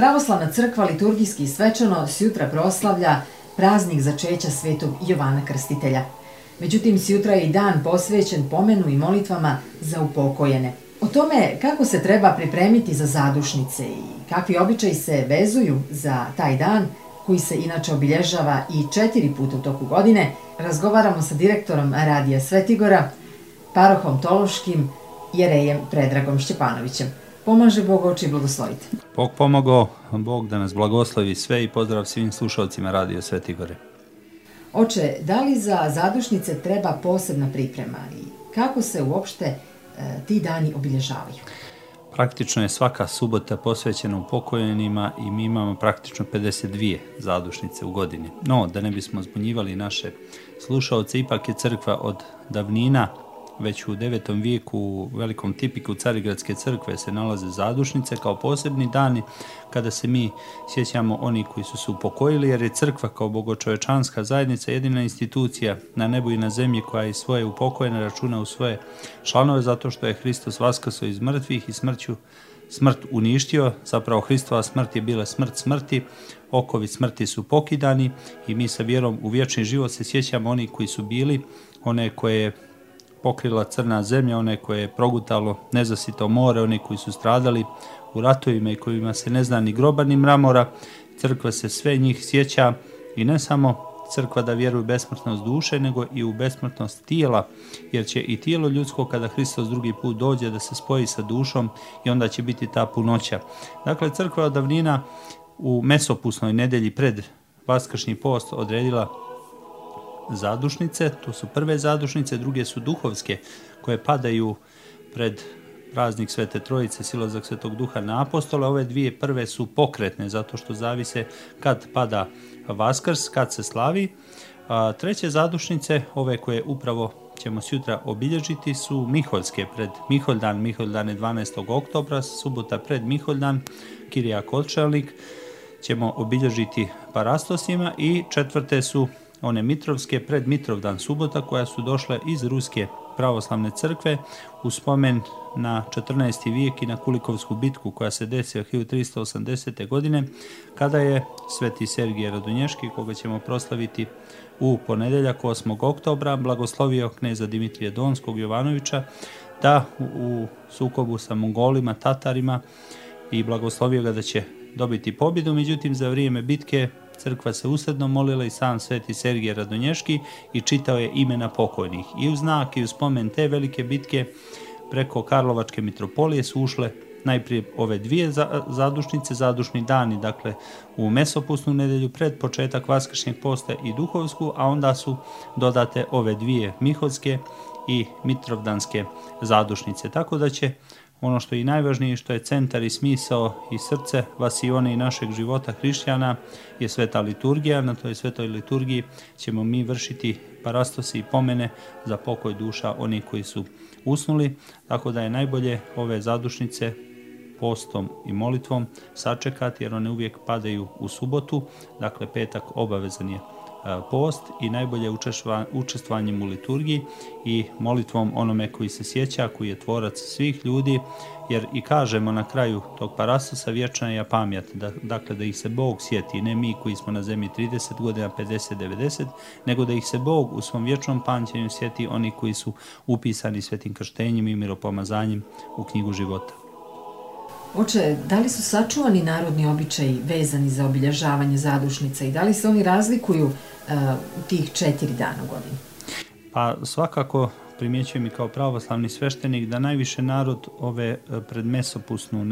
Pravoslavna crkva liturgijski i svečano sjutra proslavlja praznik začeća svetog Jovana Krstitelja. Međutim, sjutra je i dan posvećen pomenu i molitvama za upokojene. O tome kako se treba pripremiti za zadušnice i kakvi običaji se vezuju za taj dan, koji se inače obilježava i 4 puta u toku godine, razgovaramo sa direktorom Radija Svetigora, parohom Tološkim, jerejem Predragom Šćepanovićem. Pomaže Bog, oče, i blagoslovite. Bog pomogao, Bog da nas blagoslovi sve i pozdrav svim slušalcima Radio Svetigore. Oče, da li za zadušnice treba posebna priprema i kako se uopšte ti dani obilježavaju? Praktično je svaka subota posvećena upokojenima i mi imamo praktično 52 zadušnice u godini. No, da ne bismo zbunjivali naše slušalce, ipak je crkva od davnina, već u 9. vijeku u velikom tipiku Carigradske crkve se nalaze zadušnice kao posebni dani kada se mi sjećamo oni koji su se upokojili, jer je crkva kao bogočovečanska zajednica jedina institucija na nebu i na zemlji koja i svoje upokojene računa u svoje članove, zato što je Hristos vaskrsao iz mrtvih i smrt uništio. Zapravo Hristova smrt je bila smrt smrti, okovi smrti su pokidani i mi sa vjerom u vječni život se sjećamo oni koji su bili, one koje je pokrila crna zemlja, one koje je progutalo nezasito more, one koji su stradali u ratovima i kojima se ne zna ni groba ni mramora. Crkva se sve njih sjeća i ne samo crkva da vjeruje u besmrtnost duše, nego i u besmrtnost tijela, jer će i tijelo ljudsko kada Hristos drugi put dođe da se spoji sa dušom i onda će biti ta punoća. Dakle, crkva od davnina u mesopusnoj nedelji pred vaskršnji post odredila zadušnice, to su prve zadušnice, druge su duhovske koje padaju pred praznik Svete Trojice, silazak Svetog Duha na apostole. Ove dvije prve su pokretne zato što zavise kad pada Vaskrs, kad se slavi. Treće zadušnice, ove koje upravo ćemo sutra obilježiti, su Miholjske pred Miholjdan. Miholjdan je 12. oktobra, subota pred Miholjdan, Kirijak Odšelnik ćemo obilježiti parastosima i četvrte su one Mitrovske pred Mitrovdan, subota, koja su došle iz Ruske pravoslavne crkve u spomen na 14. vijek i na Kulikovsku bitku koja se desila 1380. godine, kada je sveti Sergije Radunješki, koga ćemo proslaviti u ponedjeljak 8. oktobra, blagoslovio kneza Dimitrija Donskog Jovanovića da u sukobu sa Mongolima, Tatarima, i blagoslovio ga da će dobiti pobjedu. Međutim, za vrijeme bitke crkva se usredno molila i sam sveti Sergije Radonješki i čitao je imena pokojnih. I u znak i u spomen te velike bitke preko Karlovačke mitropolije su ušle najprije ove dvije zadušnice, zadušni dani, dakle u mesopusnu nedelju pred početak vaskršnjeg posta i duhovsku, a onda su dodate ove dvije miholjske i mitrovdanske zadušnice. Tako da će ono što je i najvažnije, što je centar i smisao i srce vasione i našeg života hrišćana je sveta liturgija. Na toj svetoj liturgiji ćemo mi vršiti parastosi i pomene za pokoj duša onih koji su usnuli, tako da je najbolje ove zadušnice postom i molitvom sačekati, jer one uvijek padaju u subotu, dakle petak obavezan je post i najbolje učestvovanjem u liturgiji i molitvom onome koji se sjeća, koji je tvorac svih ljudi, jer i kažemo na kraju tog parastosa vječna je pamjat, dakle da ih se Bog sjeti, ne mi koji smo na zemlji 30 godina, 50, 90, nego da ih se Bog u svom vječnom pamćenju sjeti oni koji su upisani svetim krštenjem i miropomazanjem u knjigu života. Oče, da li su sačuvani narodni običaji vezani za obilježavanje zadušnica i da li se oni razlikuju u tih 4 dana u godini? Pa svakako primjećujem i kao pravoslavni sveštenik da najviše narod ove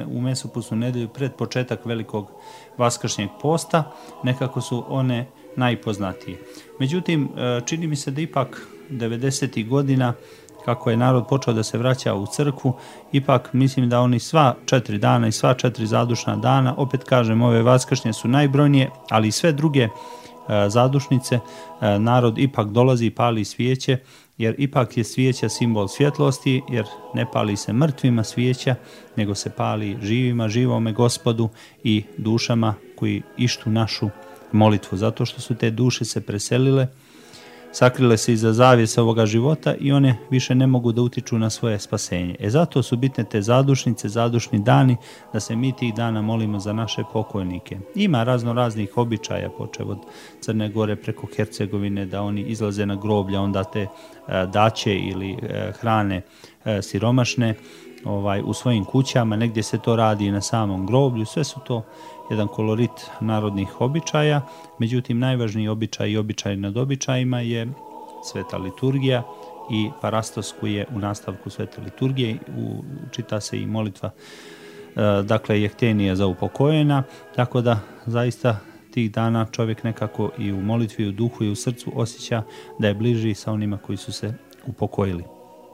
u mesopusnu nedelju pred početak velikog vaskršnjeg posta nekako su one najpoznatije. Međutim, čini mi se da ipak 90. godina kako je narod počeo da se vraća u crkvu, ipak mislim da oni sva 4 dana i sva 4 zadušna dana, opet kažem, ove vaskršnje su najbrojnije, ali i sve druge zadušnice, narod ipak dolazi i pali svijeće, jer ipak je svijeća simbol svjetlosti, jer ne pali se mrtvima svijeća, nego se pali živima, živome Gospodu i dušama koji ištu našu molitvu, zato što su te duše se preselile sakrile se iza zavjesa ovoga života i one više ne mogu da utiču na svoje spasenje. Zato su bitne te zadušnice, zadušni dani, da se mi tih dana molimo za naše pokojnike. Ima razno raznih običaja, počev od Crne Gore preko Hercegovine, da oni izlaze na groblja, onda te daće ili hrane siromašne u svojim kućama, negdje se to radi i na samom groblju, sve su to jedan kolorit narodnih običaja. Međutim, najvažniji običaj i običaj nad običajima je sveta liturgija i parastos koji je u nastavku svete liturgije, čita se i molitva, dakle jehtenija za upokojena, tako da zaista tih dana čovjek nekako i u molitvi, u duhu i u srcu osjeća da je bliži sa onima koji su se upokojili.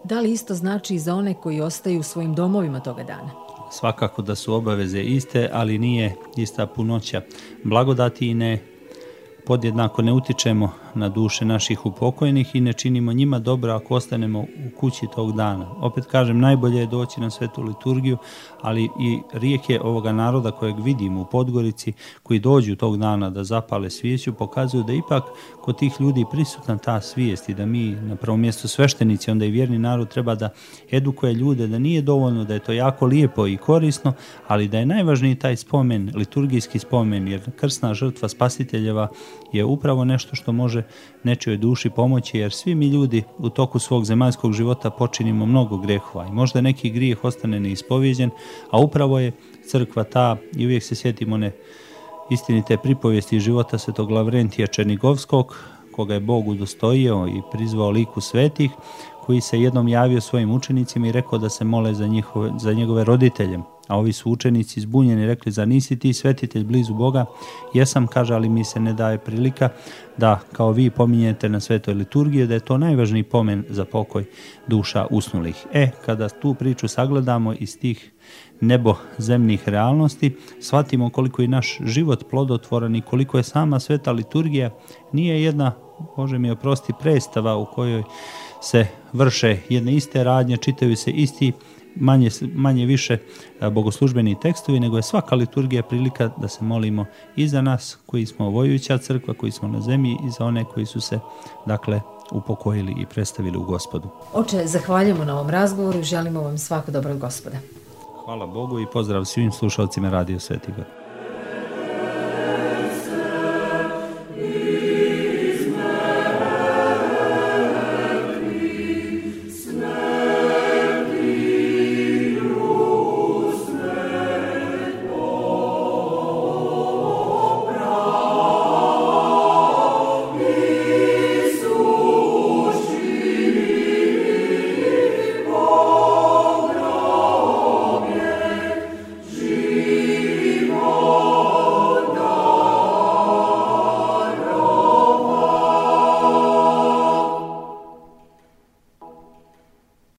Da li isto znači i za one koji ostaju u svojim domovima toga dana? Svakako da su obaveze iste, ali nije ista punoća blagodati i podjednako ne utičemo na duše naših upokojnih i ne činimo njima dobro ako ostanemo u kući tog dana. Opet kažem, najbolje je doći na svetu liturgiju, ali i rijeke ovoga naroda kojeg vidimo u Podgorici, koji dođu tog dana da zapale svijeću, pokazuju da ipak kod tih ljudi prisutna ta svijest i da mi na prvom mjestu sveštenici, onda i vjerni narod treba da edukuje ljude, da nije dovoljno, da je to jako lijepo i korisno, ali da je najvažniji taj spomen, liturgijski spomen, jer krsna žrtva spasiteljeva je upravo nešto što može nečijoj duši pomoći, jer svi mi ljudi u toku svog zemaljskog života počinimo mnogo grehova i možda neki grijeh ostane neispovjeđen, a upravo je crkva ta, i uvijek se sjetimo one istinite pripovijesti života svetog Lavrentija Černigovskog, koga je Bog udostojio i prizvao liku svetih, koji se jednom javio svojim učenicima i rekao da se mole za njegove roditelje. A ovi su učenici zbunjeni rekli: zar nisi ti svetitelj blizu Boga? Jesam, kaže, ali mi se ne daje prilika da kao vi pominjete na svetoj liturgiji, da je to najvažniji pomen za pokoj duša usnulih. Kada tu priču sagledamo iz tih nebo-zemnih realnosti, shvatimo koliko je naš život plodotvoran i koliko je sama sveta liturgija nije jedna, Bože mi oprosti, predstava u kojoj se vrše jedne iste radnje, čitaju se isti manje više bogoslužbeni tekstovi, nego je svaka liturgija prilika da se molimo i za nas koji smo vojuća crkva, koji smo na zemlji, i za one koji su se, dakle, upokojili i predstavili u Gospodu. Oče, zahvaljujemo na ovom razgovoru i želimo vam svako dobro od Gospoda. Hvala Bogu i pozdrav svim slušalcima Radio Sveti Gor.